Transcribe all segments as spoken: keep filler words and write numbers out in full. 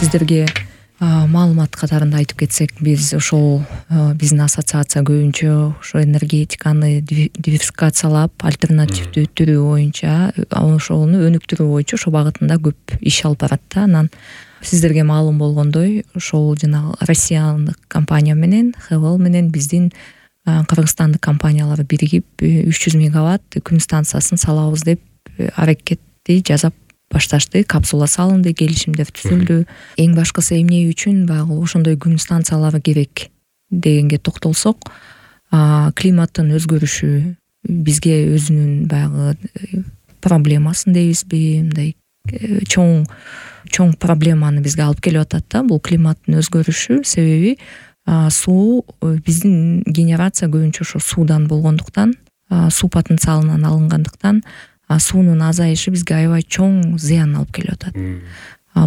сиздерге маалымат катарында айтып кетсек, биз ошол биздин ассоциация көбүнчө ошо энергетиканы диверсификациялап, альтернативдүү түрү боюнча, ошону өнүктүрүү боюнча ошо багытында көп иш алып барат да. Анан сиздерге маалым болгондой, ошол жана Россиялык компания менен, Хевел менен биздин Кыргызстандык компаниялар биригип үч жүз мегаватт күн станциясын салабыз деп аракетти жасап башташты. Капсула салынды, келишимдер түзүлдү. Эң башкысы эмне үчүн баягы ошондой күн станциялары керек дегенге токтолсок, климаттын өзгөрүшү бизге өзүнүн баягы проблемасын дейбизби, мындай чоң чоң проблеманы бизге алып келип атат да. Бул климаттын өзгөрүшү себеби суу, биздин генерация көбүнчө ошо суудан болгондуктан, суу потенциалынан алынгандыктан суунун азайышы бизге аябай чоң зыян алып келип атат.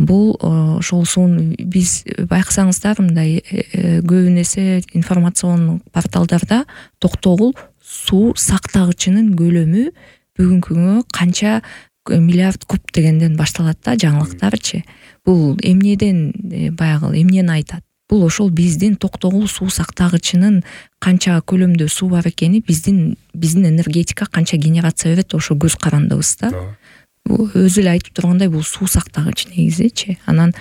Бул ошол сууну биз байкасаңыздар, мындай көбүн эсе информацион порталдарда токтогул суу сактагычынын көлөмү бүгүнкү күнгө канча миллиард куб дегенден башталат да, жаңылыктарчы. Бул эмнеден баягы эмнени айтат? Бул ошол биздин токтогул суу сактагычынын канча көлөмдө суу бар экени, биздин биздин энергетика канча генерация берет, ошо көз карандыбыз да. Өзү эле айтып тургандай, бул суу сактагыч негизичи. Анан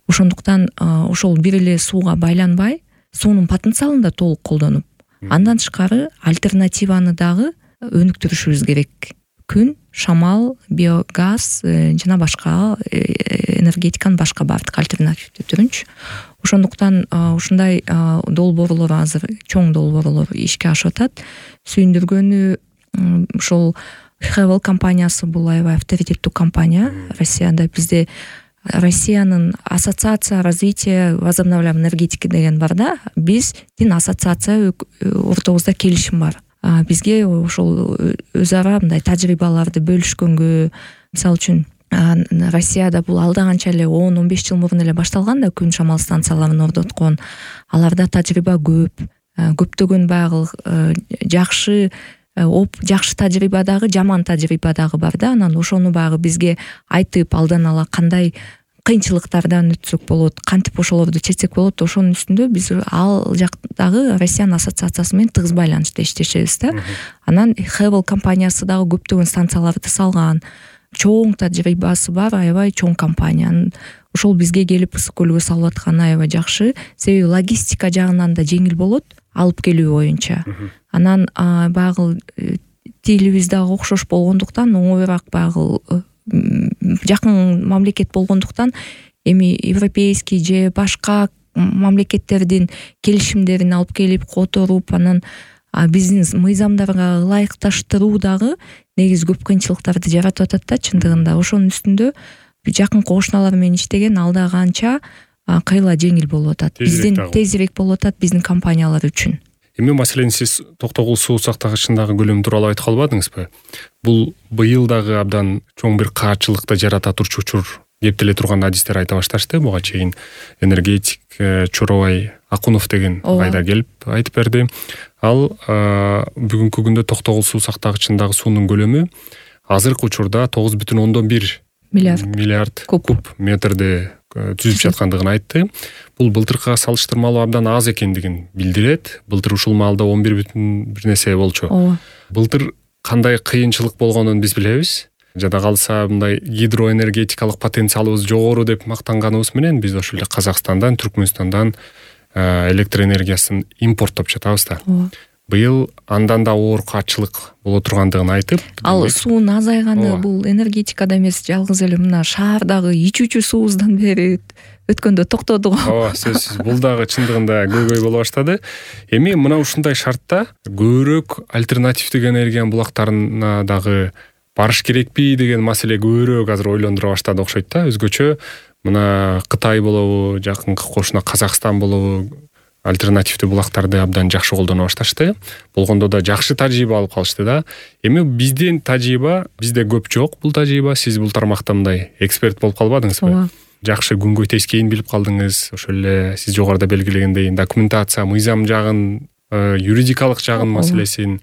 ошондуктан ошол бир эле сууга байланбай, суунун потенциалын да толук колдонуп, андан тышкары альтернативаны дагы өнүктүрүшүбүз керек. Күн, шамал, биогаз жана башка энергетиканын башка бардык альтернативдүү түрүнчү. Ошондуктан ушундай долбоорлор азыр, чоң долбоорлор ишке ашып атат. Сүйүндүргөнү ошол Хевел компаниясы бул аябай авторитеттүү компания Россияда. Бизде Россиянын ассоциация развития возобновляемой энергетики деген бар да. Биздин ассоциация ортобузда келишим бар. Бизге ошол өз ара мындай тажрыйбаларды бөлүшкөнгө, мисалы үчүн Россияда бул алда канча эле он он беш жыл мурун эле башталган да, күн шамал станцияларын орноткон. Аларда тажрыйба көп, көптөгөн баягы жакшы оп жакшы тажрыйба дагы, жаман тажрыйба дагы бар да. Анан ошону баягы бизге айтып, алдан ала кандай кыйынчылыктардан өтсөк болот, кантип ошолорду чечсек болот, ошонун үстүндө биз ал жактагы Россиянын ассоциациясы менен тыгыз байланышта иштешебиз да. Анан Хевел компаниясы дагы көптөгөн станцияларды салган, чоң тажрыйбасы бар, аябай чоң компания. Ошол бизге келип ысык көлгө салып атканы аябай жакшы, себеби логистика жагынан да жеңил болот, алып келүү боюнча. Анан баягы тилибиз дагы окшош болгондуктан, оңоюраак баягы жакын мамлекет болгондуктан, эми европейский же башка мамлекеттердин келишимдерин алып келип которуп, анан биздин мыйзамдарга ылайыкташтыруу дагы негизи көп кыйынчылыктарды жаратып атат да чындыгында. Ошонун үстүндө жакын кошуналар менен иштеген алда канча кыйла жеңил болуп атат. Биздин тезирээк болуп атат биздин компаниялар үчүн. Эми маселен сиз токтогул суу сактагычындагы көлөм тууралуу айтып калбадыңызбы? Бул быйыл дагы абдан чоң бир каачылыкты жарата турчу учур деп деле турган адистер айта башташты. Буга чейин энергетик Чоробай Акунов деген кайда келип айтып берди. Ал бүгүнкү күндө токтогул суу сактагычындагы суунун көлөмү азыркы учурда тогуз бүтүн ондон бир миллиард куб метрди түзүп жаткандыгын айтты. Бул былтыркыга салыштырмалуу абдан аз экендигин билдирет. Былтыр ушул маалда он бир бүтүн бир нерсе болчу. Былтыр кандай кыйынчылык болгонун биз билебиз. Жада калса мындай гидроэнергетикалык потенциалыбыз жогору деп мактанганыбыз менен биз ошол эле Казакстандан, Түркмөнстандан электр энергиясын импорттоп жатабыз да. Быйыл андан да оор каачылык боло тургандыгын айтып, ал суунун азайганы бул энергетикада эмес, жалгыз эле мына шаардагы ичүүчү суубуздан бери өткөндө токтоду го. Ооба, сөзсүз бул дагы чындыгында көйгөй боло баштады. Эми мына ушундай шартта көбүрөөк альтернативдик энергиянын булактарына дагы барыш керекпи деген маселе көбүрөөк азыр ойлондура баштады окшойт да. Өзгөчө мына Кытай болобу, жакынкы кошуна Казакстан болобу, альтернативдүү булактарды абдан жакшы колдоно башташты. Болгондо да жакшы тажрыйба алып калышты да. Эми биздин тажрыйба, бизде көп жок бул тажрыйба. Сиз бул тармакта мындай эксперт болуп калбадыңызбы? Жакшы күнгөй тескейин билип калдыңыз. Ошол эле сиз жогоруда белгилегендей документация, мыйзам жагын, юридикалык жагын маселесин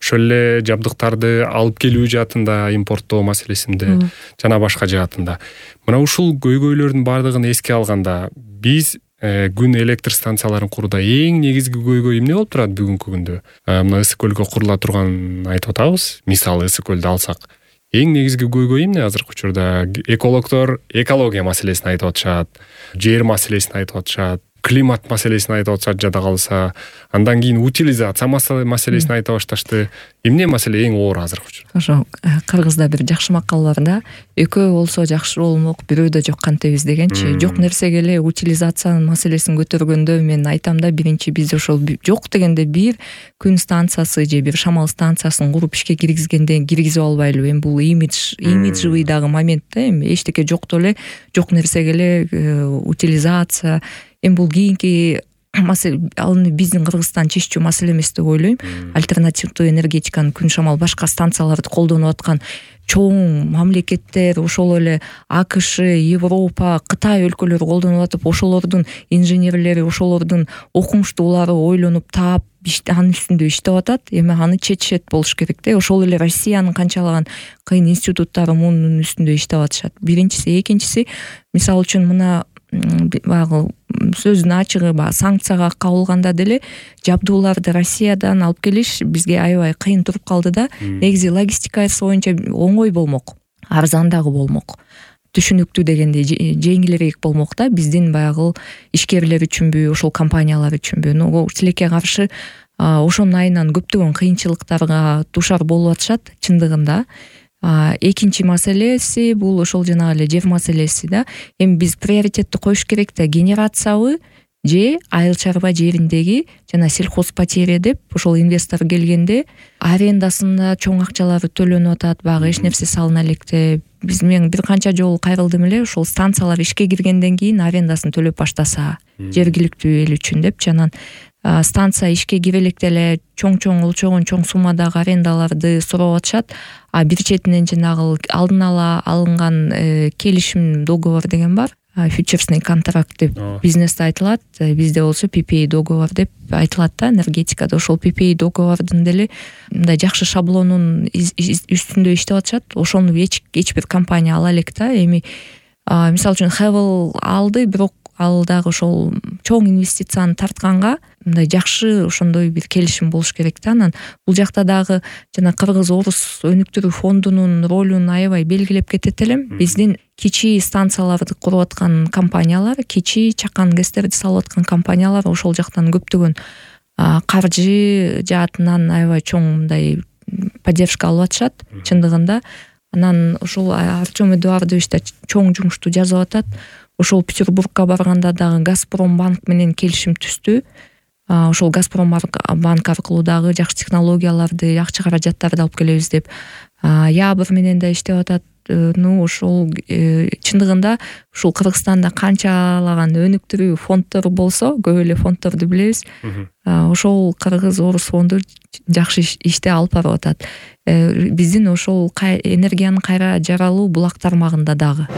ошол эле жабдыктарды алып келүү жаатында, импорттоо маселесинде жана башка жаатында. Мына ушул көйгөйлөрдүн баардыгын эске алганда биз күн электр станцияларын курууда эң негизги көйгөй эмне болуп турат бүгүнкү күндө? Мына Ысык көлгө курула турган айтып атабыз. Мисалы Ысык көлдү алсак, эң негизги көйгөй эмне азыркы учурда? Экологдор экология маселесин айтып атышат, жер маселесин айтып атышат, климат маселесин айтып атышат жада калса, андан кийин утилизация маселесин айтып башташты. Эмне маселе эң оор азыркы учурда? Ошо кыргызда бир жакшы макал бар да, экөө болсо жакшы болмок, бирөөдө жок кантебиз дегенчи. Жок нерсеге эле утилизациянын маселесин көтөргөндө мен айтам да, биринчи биз ошол жок дегенде бир күн станциясы же бир шамал станциясын куруп ишке киргизгенде киргизип албайлы. Эми бул имидж, имиджевый дагы момент да, эми эчтеке жокту эле жок нерсеге эле утилизация. Эми бул кийинки маселе, ал биздин Кыргызстан чечүү маселе эмес деп ойлойм. Альтернативдүү энергетиканы күн шамал башка станцияларды колдонуп аткан чоң мамлекеттер, ошол эле АКШ, Европа, Кытай өлкөлөрү колдонуп атып, ошолордун инженерлери, ошолордун окумуштуулары ойлонуп таап анын үстүндө иштеп атат. Эми аны чечет болуш керек да. Ошол эле Россиянын канчалаган кыйын институттары мунун үстүндө иштеп атышат. Биринчиси, экинчиси, мисалы үчүн мына баягы сөздүн ачыгы баягы санкцияга кабылганда деле жабдууларды Россиядан алып келиш бизге аябай кыйын туруп калды да. Негизи логистикасы боюнча оңой болмок, арзан дагы болмок, түшүнүктүү дегенде жеңилирээк болмок да, биздин баягы ишкерлер үчүнбү, ошол компаниялар үчүнбү. Но тилекке каршы ошонун айынан көптөгөн кыйынчылыктарга дуушар болуп атышат чындыгында. Экинчи маселеси бул ошол жанагы эле жер маселеси да. Эми биз приоритетти коюш керек да, генерациябы же айыл чарба жериндеги жана сельхозпотерия деп ошол инвестор келгенде арендасында чоң акчалары төлөнүп атат, баягы эч нерсе салына электе. Биз мен бир канча жолу кайрылдым эле, ошол станциялар ишке киргенден кийин арендасын төлөп баштаса жергиликтүү эл үчүн деп, жанан станция ишке кире электе эле чоң-чоң өлчөгөн чоң суммадагы арендаларды сурап атышат. А бир четинен жанагы алдын ала алынган келишим договор деген бар. Фьючерсный контракт деп бизнесте айтылат, бизде болсо пи пи эй договор деп айтылат да, энергетикада. Ошол пи пи эй договордун деле мындай жакшы шаблонун үстүндө иштеп атышат. Ошону эч эч бир компания ала элек да. Эми мисалы үчүн Хевел алды, бирок ал дагы ошол чоң инвестицияны тартканга мындай жакшы ошондой бир келишим болуш керек да. Анан бул жакта дагы жана Кыргыз Орус өнүктүрүү фондунун ролун аябай белгилеп кетет элем. Биздин кичи станцияларды куруп аткан компаниялар, кичи чакан гэстерди салып аткан компаниялар ошол жактан көптөгөн каржы жаатынан аябай чоң мындай поддержка алып атышат чындыгында. Анан ошол Артем Эдуардович да чоң жумушту жазып атат. Ошол Петербургка барганда дагы Газпромбанк менен келишим түздү. Ошол Газпромбанк аркылуу дагы жакшы технологияларды, жакшы каражаттарды алып келебиз деп. Ябыр менен да иштеп атат. Ну ошол чындыгында ушул Кыргызстанда канчалаган өнүктүрүү фонддору болсо, көп эле фонддорду билебиз. Ошол Кыргыз Орус фонду жакшы иште алып барып атат. Биздин ошол энергиянын кайра жаралуу булак тармагында дагы.